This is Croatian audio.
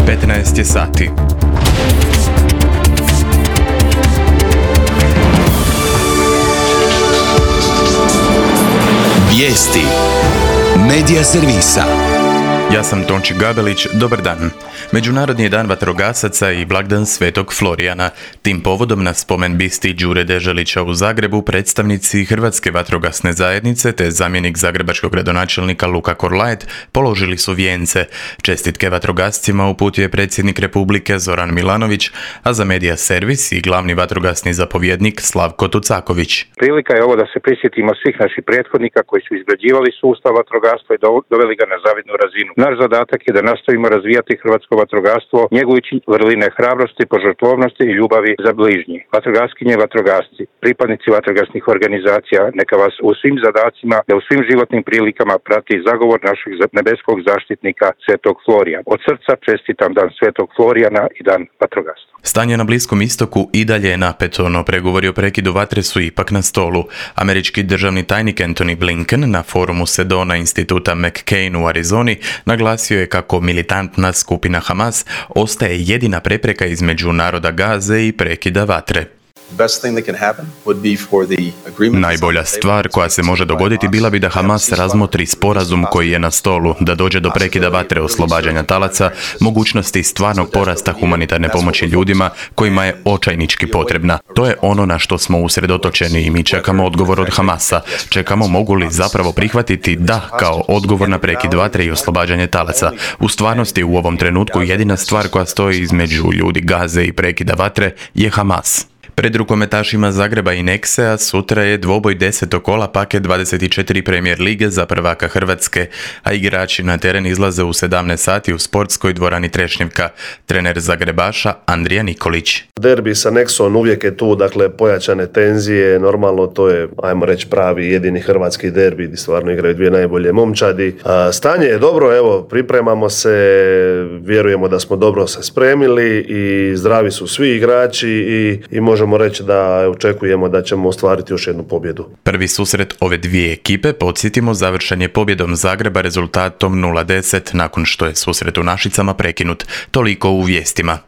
15 je sati. Vijesti Medija servisa. Ja sam Tonči Gabelić, dobar dan. Međunarodni je dan vatrogasaca i blagdan Svetog Florijana. Tim povodom na spomen bisti Đure Deželića u Zagrebu predstavnici Hrvatske vatrogasne zajednice te zamjenik zagrebačkog gradonačelnika Luka Korlaet položili su vijence. Čestitke vatrogascima uputio je predsjednik Republike Zoran Milanović, a za medija servis i glavni vatrogasni zapovjednik Slavko Tucaković. Prilika je ovo da se prisjetimo svih naših prethodnika koji su izgrađivali sustav vatrogastva i doveli ga na zavidnu razinu. Naš zadatak je da nastavimo razvijati hrvatsko vatrogastvo, njegujući vrline hrabrosti, požrtvovnosti i ljubavi za bližnji. Vatrogaskinje i vatrogasci, pripadnici vatrogasnih organizacija, neka vas u svim zadacima, u svim životnim prilikama prati zagovor našeg nebeskog zaštitnika Svetog Florijana. Od srca čestitam dan Svetog Florijana i dan vatrogastva. Stanje na Bliskom istoku i dalje je napeto, no pregovori o prekidu vatre su ipak na stolu. Američki državni tajnik Antony Blinken na forumu Sedona instituta McCain u Arizoni naglasio je kako militantna skupina Hamas ostaje jedina prepreka između naroda Gaze i prekida vatre. Najbolja stvar koja se može dogoditi bila bi da Hamas razmotri sporazum koji je na stolu, da dođe do prekida vatre, oslobađanja talaca, mogućnosti stvarnog porasta humanitarne pomoći ljudima kojima je očajnički potrebna. To je ono na što smo usredotočeni i mi čekamo odgovor od Hamasa. Čekamo mogu li zapravo prihvatiti da kao odgovor na prekid vatre i oslobađanje talaca. U stvarnosti u ovom trenutku jedina stvar koja stoji između ljudi Gaze i prekida vatre je Hamas. Pred rukometašima Zagreba i Nexe-a sutra je dvoboj 10. kola paket 24 Premier lige za prvaka Hrvatske, a igrači na teren izlaze u 17 sati u sportskoj dvorani Trešnjevka. Trener Zagrebaša Andrija Nikolić. Derbi sa Nexom uvijek je tu, dakle pojačane tenzije, normalno to je, ajmo reći, pravi jedini hrvatski derbi gdje stvarno igraju dvije najbolje momčadi. Stanje je dobro, evo, pripremamo se, vjerujemo da smo dobro se spremili i zdravi su svi igrači i možemo reći da očekujemo da ćemo ostvariti još jednu pobjedu. Prvi susret ove dvije ekipe, podsjetimo, završen je pobjedom Zagreba rezultatom 0-10 nakon što je susret u Našicama prekinut. Toliko u vijestima.